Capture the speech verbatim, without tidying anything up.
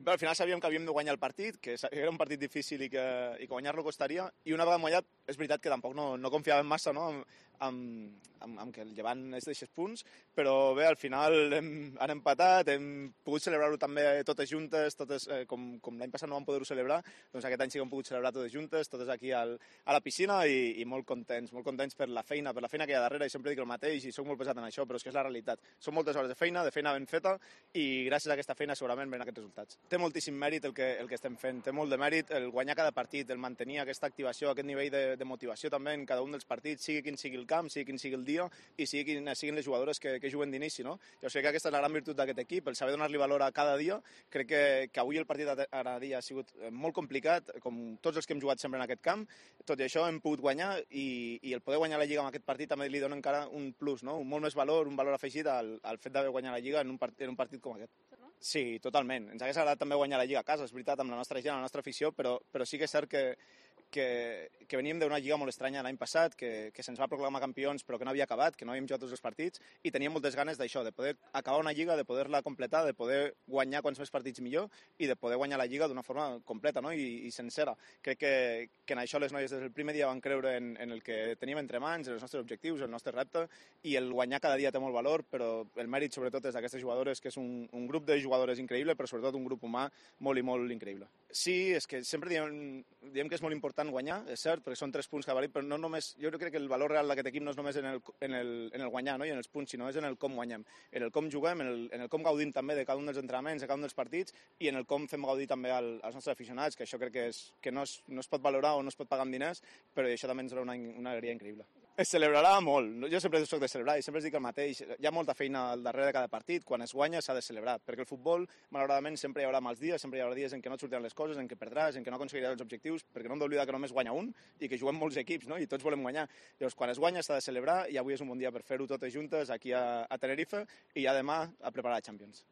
Bé, al final sabíem que havíem de guanyar el partit, que era un partit difícil i que, i que guanyar-lo costaria, i una vegada guanyat, és veritat que tampoc no, no confiàvem massa, no?, amb, amb, amb, amb que el Llevant es deixés punts, però bé, al final hem, han empatat, hem pogut celebrar-ho també totes juntes, totes, eh, com, com l'any passat no vam poder-ho celebrar, doncs aquest any sí que hem pogut celebrar totes juntes, totes aquí al, a la piscina, i, i molt contents, molt contents per la feina, per la feina que hi ha darrere, i sempre dic el mateix, i soc molt pesat en això, però és que és la realitat. Són moltes hores de feina, de feina ben feta, i gràcies a aquesta feina segurament venen aquests resultats. Té moltíssim mèrit el que, el que estem fent, té molt de mèrit el guanyar cada partit, el mantenir aquesta activació, aquest nivell de, de motivació també en cada un dels partits, sigui quin sigui el camp, sigui quin sigui el dia i sigui quines siguin les jugadores que, que juguen d'inici, no? Jo sé que aquesta és la gran virtut d'aquest equip, el saber donar-li valor a cada dia. Crec que, que avui el partit a cada dia ha sigut molt complicat, com tots els que hem jugat sempre en aquest camp. Tot i això hem pogut guanyar i, i el poder guanyar la Lliga en aquest partit també li dona encara un plus, no? Un molt més valor, un valor afegit al, al fet d'haver guanyat la Lliga en un, part, en un partit com aquest. Sí, totalment. Ens hagués agradat també guanyar la Lliga a casa, és veritat, amb la nostra gent, la nostra afició, però, però sí que és cert que, que, que veníem d'una Lliga molt estranya l'any passat, que, que se'ns va proclamar campions però que no havia acabat, que no havíem jugat tots els partits, i teníem moltes ganes d'això, de poder acabar una Lliga, de poder-la completar, de poder guanyar quants més partits millor i de poder guanyar la Lliga d'una forma completa, no?, I, i sencera. Crec que, que en això les noies des del primer dia van creure en, en el que teníem entre mans, en els nostres objectius, el nostre repte, i el guanyar cada dia té molt valor, però el mèrit sobretot és d'aquestes jugadores, que és un, un grup de jugadores increïble, però sobretot un grup humà molt i molt increïble. Sí, és que sempre diem, diem que és molt important guanyar, és cert, perquè són tres punts que valid, però no només, jo crec que el valor real d'aquest equip no és només en el, en el, en el guanyar, no?, i en els punts, sinó és en el com guanyem, en el com juguem, en el, en el com gaudim també de cada un dels entrenaments, de cada un dels partits, i en el com fem gaudir també al, als nostres aficionats, que això crec que, és, que no, es, no es pot valorar o no es pot pagar amb diners, però això també ens dona una, una alegria increïble. Es celebrarà molt, jo sempre soc de celebrar i sempre es dic el mateix, hi ha molta feina al darrere de cada partit, quan es guanya s'ha de celebrar, perquè el futbol, malauradament, sempre hi haurà mals dies, sempre hi haurà dies en què no et sortiran les coses, en què perdràs, en què no aconseguiràs els objectius, perquè no hem d'oblidar que només guanya un i que juguem molts equips, no?, i tots volem guanyar. Llavors, quan es guanya s'ha de celebrar i avui és un bon dia per fer-ho totes juntes aquí a, a Tenerife i ja demà a preparar la Champions.